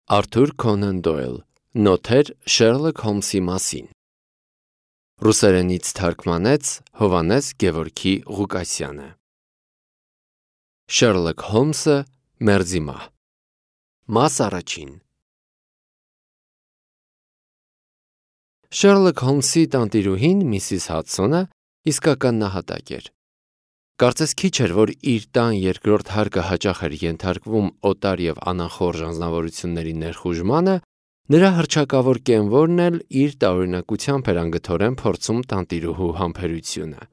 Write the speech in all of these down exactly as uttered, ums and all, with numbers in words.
Արթուր Քոնան Դոյլ, Նոթեր Շերլոք Հոլմսի մասին։ Ռուսերենից թարգմանեց Հովհաննես Գևորգի Ղուկասյանը։ Շերլոք Հոլմսը մերձիմահ։ Մաս առաջին։ Շերլոք Հոլմսի տանտիրուհին Միսիս Հադսոնը իսկական նահատակ էր։ Կարծես քիչ էր, որ իր տան երկրորդ հարկը հաճախ էր ենթարկվում օտար և անախորժ անձնավորությունների ներխուժմանը, նրա հռչակավոր կենվորն էլ իր տարօրինակությամբ էր անգթորեն փորձում տանտիրուհու համբերությունը։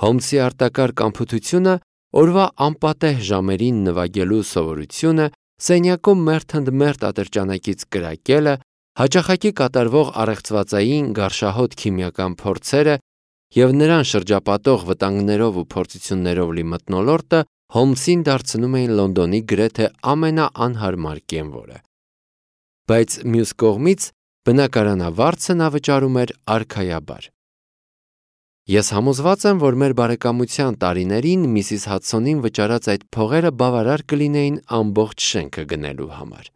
Հոլմսի արտակարգ անփութությունը, օրվա անպատեհ ժամերին նվագելու սովորությունը, սենյակում մերթ ընդ մերթ ատրճանակից կրակելը, հաճախակի կատարվող առեղծվածային գարշահոտ քիմիական փորձերը և նրան շրջապատող վտանգներով ու փորձություններով լի մթնոլորտը Հոլմսին դարձնում էին Լոնդոնի գրեթե ամենաանհարմար կենվորը։ Բայց մյուս կողմից բնակարանավարձը նա վճարում էր արքայաբար։ Ես համոզված եմ, որ մեր բարեկամության տարիներին Միսիս Հադսոնին վճարած այդ փողերը բավարար կլինեին ամբողջ շենքը գնելու համար։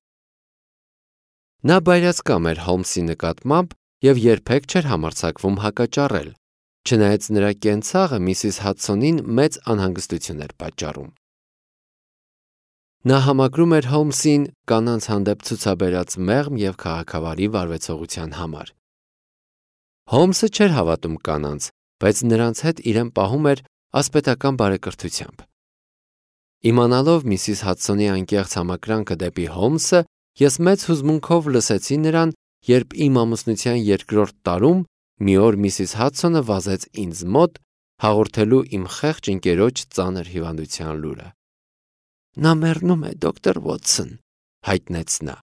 Նա բայրացկամ էր Հոլմսի նկատմամբ և երբեք չէր համարձակվում հակաճառել, չնայած նրա կենցաղը Միսիս Հադսոնին մեծ անհանգստություն էր պատճառում։ Նա համակրում էր Հոլմսին կանանց հանդեպ ցուցաբերած մեղմ և քաղաքավարի վարվեցողության համար։ Հոլմսը չէր հավատում կանանց, բայց նրանց հետ իրեն պահում էր ասպետական բարեկրթությամբ։ Իմանալով Միսիս Հադսոնի անկեղծ համակրանքը դեպի Հոլմսը, ես մեծ հուզմունքով լսեցի նրան, երբ իմ ամուսնության երկրորդ տարում մի օր Միսիս Հադսոնը վազեց ինձ մոտ, հաղորդելու իմ խեղճ ընկերոջ ծանր հիվանդության լուրը։ «Նա մեռնում է, դոկտոր Վոթսոն», հայտնեց նա։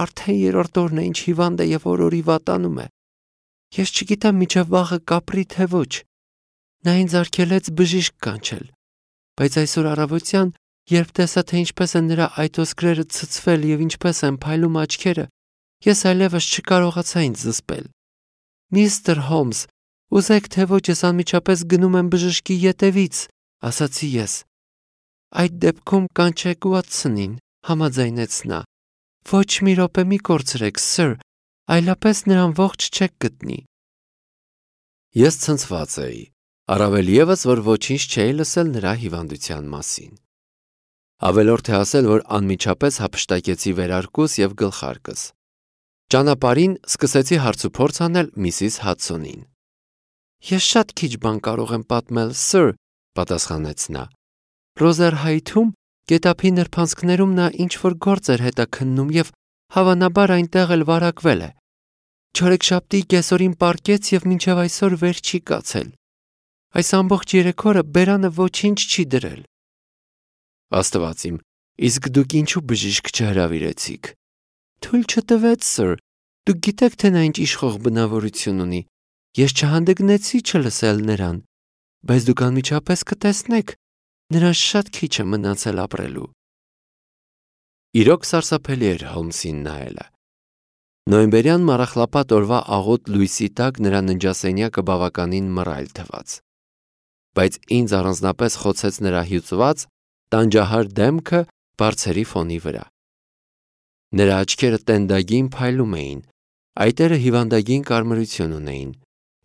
«Արդեն երրորդ օրն է, ինչ հիվանդ է և օր-օրի վատանում է։ Ես չգիտեմ մինչև վաղը կապրի թե ոչ։ Նա ինձ արգելեց բժիշկ կանչել, բայց այսօր առավոտյան, երբ տեսա, թե ինչպես են նրա այտոսկրերը ցցվել և ինչպես են փայլում աչքերը, ես այլևս չկարողացա ինձ զսպել։ Միստր Հոլմս, ուզեք թե ոչ, ես անմիջապես գնում եմ բժշկի ետևից, ասացի ես։ Այդ դեպքում կանչեք Վոթսոնին, համաձայնեց նա։ Ոչ մի րոպե մի կորցրեք, սըր, այլապես նրան ողջ չեք գտնի։ Ես ցնցված էի, առավել ևս, որ ոչինչ չէի լսել նրա հիվանդության մասին։ Ավելորդ է ասել, որ անմիջապես հափշտակեցի վերարկուս և գլխարկս։ Ճանապարհին սկսեցի հարցուփորձ անել Միսիս Հադսոնին։ Ես շատ քիչ բան կարող եմ պատմել, սըր, պատասխանեց նա։ Ռոզերհայթում գետափի նրբանցքներում նա ինչ-որ գործ էր հետաքննում և հավանաբար այնտեղ էլ վարակվել է։ Չորեքշաբթի կեսօրին պառկեց և մինչև այսօր վեր չի կացել։ Այս ամբողջ երեք օրը բերանը ոչինչ չի դրել։ Աստված իմ, իսկ դուք ինչու բժիշկ չհրավիրեցիք։ Թույլ չտվեց, սըր, դուք գիտեք, թե նա ինչ իշխող բնավորություն ունի։ Ես չհանդգնեցի չլսել նրան, բայց դուք անմիջապես կտեսնեք, նրան շատ քիչ է մնացել ապրելու։ Իրոք սարսափելի էր Հոլմսին նայելը։ Նոյեմբերյան մառախլապատ օրվա աղոտ լույսի տակ նրա ննջասենյակը բավականին մռայլ թվաց։ Բայց ինձ առանձնապես խոցեց նրա հյուծված, տանջահար դեմքը բարձերի ֆոնի վրա։ Նրա աչքերը տենդագին փայլում էին, այտերը հիվանդագին կարմրություն ունեին,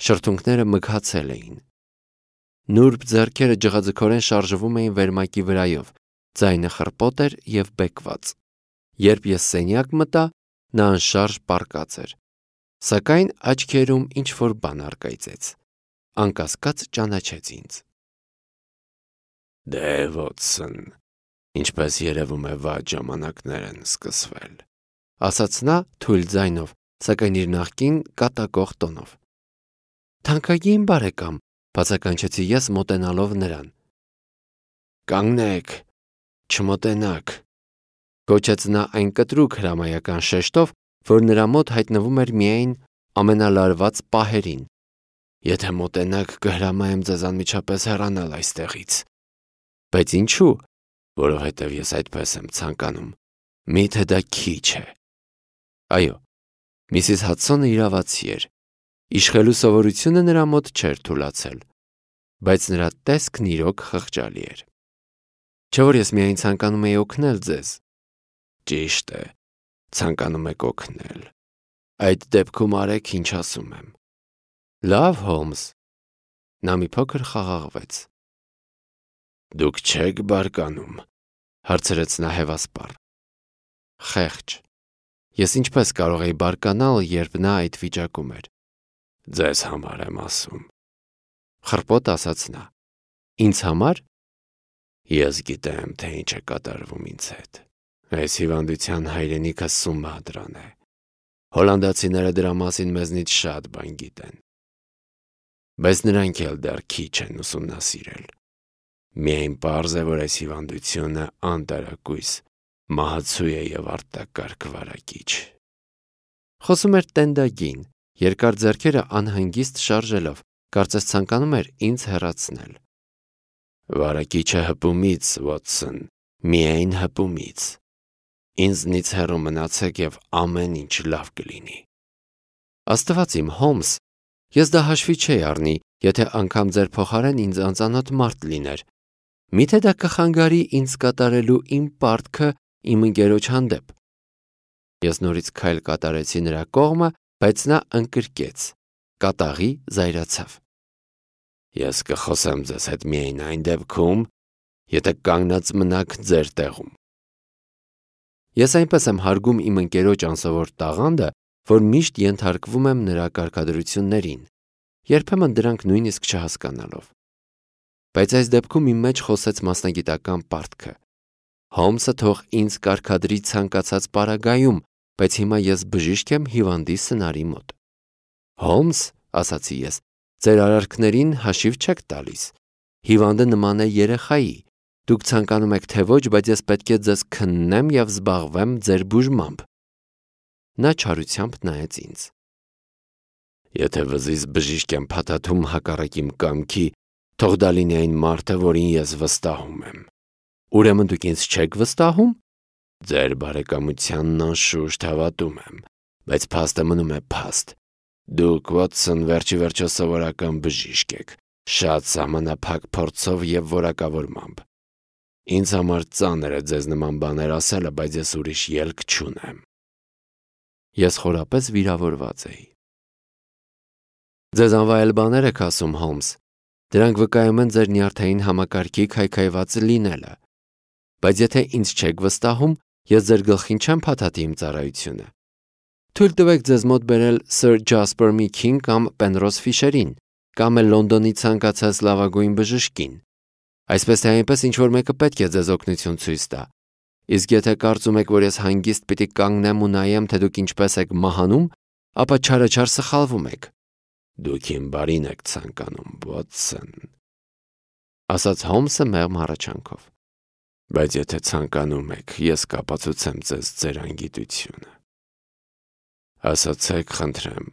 շրթունքները մգացել էին։ Նուրբ ձեռքերը ջղաձգորեն շարժվում էին վերմակի վրայով, ձայնը խռպոտ էր և բեկված։ Երբ ես սենյակ մտա, նա անշարժ պառկած էր, սակայն աչքերում ինչ-որ բան առկայծեց։ Անկասկած ճանաչեց ինձ։ Դե Վոթսոն, ինչպես երևում է, վատ ժամանակներ են սկսվել, ասաց նա թույլ ձայնով, սակայն իր նախկին կատակող տոնով։ Թանկագին բարեկամ, բացականչեցի ես մոտենալով նրան։ Կանգնեք, չմոտենաք, գոչեց նա այն կտրուկ հրամայական շեշտով, որ նրա մոտ հայտնվում էր միայն ամենալարված պահերին։ Եթե մոտենաք, կհրամայեմ ձեզ անմիջապես հեռանալ այստեղից։ Բայց ինչու, որովհետև ես այդպես եմ ցանկանում։ Միթե դա քիչ է։ Այո, Միսիս Հադսոնը իրավացի էր։ Իշխելու սովորությունը նրա մոտ չէր թուլացել, բայց նրա տեսքն իրոք խղճալի էր։ Չէ՞ որ ես միայն ցանկանում էի օգնել ձեզ։ Ճիշտ է, ցանկանում եք օգնել։ Այդ դեպքում արեք, ինչ ասում եմ։ Լավ, Հոլմս։ Նա մի փոքր խաղաղվեց։ Դուք չեք բարկանում, հարցրեց նա հևասպառ։ Խեղճ։ Ես ինչպես կարող էի բարկանալ, երբ նա այդ վիճակում էր։ Ձեզ համար եմ ասում։ Խռպոտ ասաց նա։ Ինձ համար։ Ես գիտեմ, թե ինչ է կատարվում ինձ հետ։ Այս հիվանդության հայրենիքը Սումադրան է։ Հոլանդացիները դրա մասին մեզնից շատ բան գիտեն։ Բայց նրանք էլ դեռ քիչ են ուսումնասիրել։ Միայն պարզ է, որ այս հիվանդությունը անտարակույս, մահացու է և արտակարգ վարակիչ։ Խոսում էր տենդագին, երկար ձեռքերը անհանգիստ շարժելով, կարծես ցանկանում էր ինձ հեռացնել։ Վարակիչը հպումից, Վոթսոն, միայն հպումից։ Ինձնից հեռու մնացեք և ամեն ինչ լավ կլինի։ Աստված իմ, Հոլմս, ես դա հաշվի չէի առնի, եթե անգամ ձեր փոխարեն ինձ անծանոթ մարդ լիներ։ Միթե դա կխանգարի ինձ կատարելու իմ պարտքը իմ ընկերոջ հանդեպ։ Ես նորից քայլ կատարեցի նրա կողմը, բայց նա ընկրկեց, կատաղի զայրացավ։ Ես կխոսեմ ձեզ հետ միայն այն դեպքում, եթե կանգնած մնաք ձեր տեղում։ Ես այնպես եմ հարգում իմ ընկերոջ անսովոր տաղանդը, որ միշտ ենթարկվում եմ նրա կարգադրություններին, երբեմն դրանք նույնիսկ չհասկանալով։ Բայց այս դեպքում իմ մեջ խոսեց մասնագիտական պարտքը։ Հոլմսը թող ինձ կարգադրի ցանկացած պարագայում, բայց հիմա ես բժիշկ եմ հիվանդի սնարի մոտ։ Հոլմս, ասացի ես, ձեր արարքներին հաշիվ չեք տալիս։ Հիվանդը նման է երեխայի։ Դուք ցանկանում եք թե ոչ, բայց ես պետք է ձեզ քննեմ և զբաղվեմ ձեր բուժմամբ։ Նա չարությամբ նայեց ինձ։ Եթե վզից բժիշկ եմ փաթաթում հակառակ իմ կամքի, թող դա լինի այն մարդը, որին ես վստահում եմ։ Ուրեմն դուք ինձ չեք վստահում։ Ձեր բարեկամությանն անշուշտ հավատում եմ, բայց փաստը մնում է փաստ։ Դուք, Վոթսոն, վերջի վերջո սովորական բժիշկ եք, շատ սահմանափակ փորձով և որակավորմամբ։ Ինձ համար ծանր է ձեզ նման բաներ ասելը, բայց ես ուրիշ ելք չունեմ։ Ես խորապես վիրավորված էի։ Ձեզ անվայել բաներ եք ասում, Հոլմս։ Դրանք վկայում են ձեր նյարդային համակարգի քայքայված լինելը։ Բայց եթե ինձ չեք վստահում, ես ձեր գլխին չեմ փաթաթի իմ ծառայությունը։ Թույլ տվեք ձեզ մոտ բերել Սըր Ջասպեր Միքին կամ Պենրոզ Ֆիշերին, կամ էլ Լոնդոնի ցանկացած լավագույն բժշկին։ Այսպես թե այնպես ինչ-որ մեկը պետք է ձեզ օգնություն ցույց տա։ Իսկ եթե կարծում եք, որ ես հանգիստ պիտի կանգնեմ ու նայեմ, թե դուք ինչպես եք մահանում, ապա չարաչար սխալվում եք։ Դուք իմ բարին եք ցանկանում, Վոթսոն, ասաց Հոլմսը մեղմ հառաչանքով։ Բայց եթե ցանկանում եք, ես կապացուցեմ ձեզ ձեր անգիտությունը։ Ասացեք, խնդրեմ,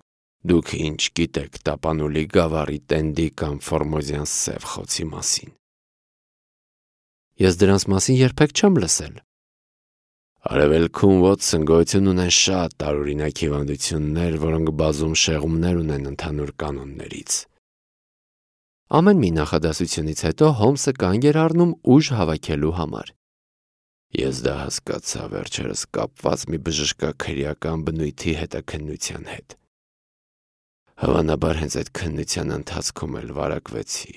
դուք ինչ գիտեք տապանուլի գավառի տենդի կամ Ֆորմոզյան սև խոցի մասին։ Ես դրանց մասին երբեք չեմ լսել։ Արևելքում, Վոթսոն, գոյություն ունեն շատ տարօրինակ հիվանդություններ, որոնք բազում շեղումներ ունեն ընդհանուր կանոններից։ Ամեն մի նախադասությունից հետո Հոլմսը կանգ էր առնում ուժ հավաքելու համար։ Ես դա հասկացա վերջերս կապված մի բժշկաքրեական բնույթի հետաքննության հետ։ Հավանաբար հենց այդ քննության ընթացքում էլ վարակվեցի։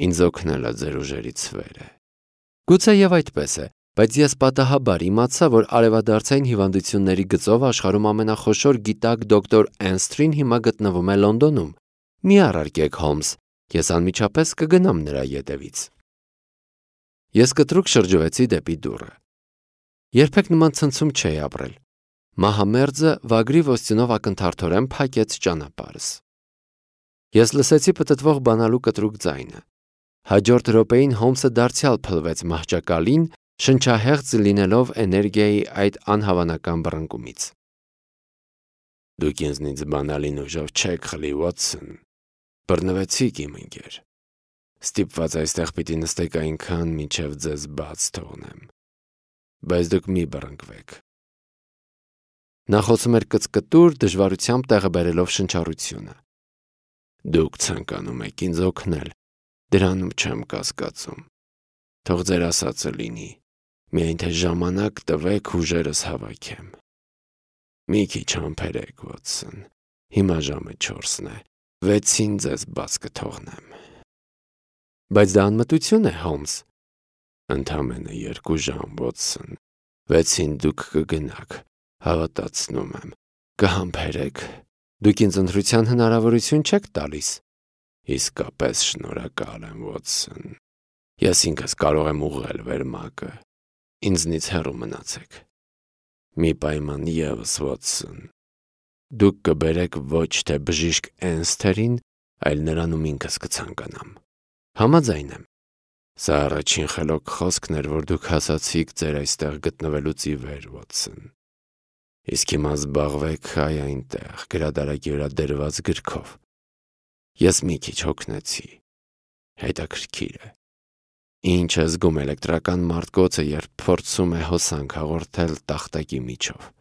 Ինձ օգնել է ձեր ուժերից վերը։ Գուցե և այդպես է, բայց ես պատահաբար իմացա, որ արևադարձային հիվանդությունների գծով աշխարհում ամենախոշոր գիտակ դոկտոր Էնսթրին հիմա գտնվում է Լոնդոնում։ Մի առարկեք, Հոլմս, ես անմիջապես կգնամ նրա ետևից։ Ես կտրուկ շրջվեցի դեպի դուռը։ Երբեք նման ցնցում չէի ապրել։ Մահամերձը վագրի ոսցյունով ակնթարթորեն փակեց ճանապարհս։ Ես լսեցի պտտվող բանալու կտրուկ ձայնը։ Հաջորդ րոպեին Հոլմսը դարձյալ փլվեց մահճակալին, շնչահեղձ լինելով էներգիայի այդ անհավանական բռնկումից։ Դուք ինձնից բանալին ուժով չեք խլի, Վոթսոն։ Բռնվեցիք, իմ ընկեր։ Ստիպված այստեղ պիտի նստեք այնքան, մինչև ձեզ բաց թողնեմ։ Բայց դուք մի բռնկվեք։ Նա խոսում էր կծկտուր, դժվարությամբ տեղը բերելով շնչառությունը։ Դուք ցանկանում եք ինձ օգնել, դրանում չեմ կասկածում։ Թող ձեր ասածը լինի։ Միայն թե ժամանակ տվեք ուժերս հավաքեմ։ Մի քիչ համբերեք, Վոտսոն, հիմա ժամը չորսն է, վեցին ձեզ բաց կթողնեմ։ Բայց դա անմտություն է, Հոլմս։ Ընդամենը երկու ժամ, Վոտսոն, վեցին դուք կգնաք, հավատացնում եմ, կհամբերեք, դուք ինձ ընտրության հնարավորություն չեք տալիս։ Իսկապես շնորհակալ եմ, Վոտսոն, ես ինքս կարող եմ ուղղել վերմակը, ինձնից հեռու մնացեք։ Մի պայման ևս, Վոտսոն, դուք կբերեք ոչ թե բժիշկ Էնսթերին, այլ նրանում ինքս կցանկանամ։ Համաձայն եմ։ Սա առաջին խելոք խոսքն էր, որ դուք հասացիք ձեր այստեղ գտնվելուց ի վեր, Վոտսոն։ Իսկ հիմա զբաղվեք այ այնտեղ, գրադարակի վրա դրված գրքով։ Ես մի քիչ հոգնեցի։ Հետաքրքիր է։ Ինչ է զգում էլեկտրական մարտկոցը, երբ փորձում է հոսանք հաղորդել տախտակի միջով։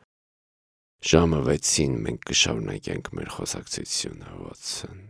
Ժամը վեցին մենք կշարունակենք մեր խոսակցությունը, Վոտսոն։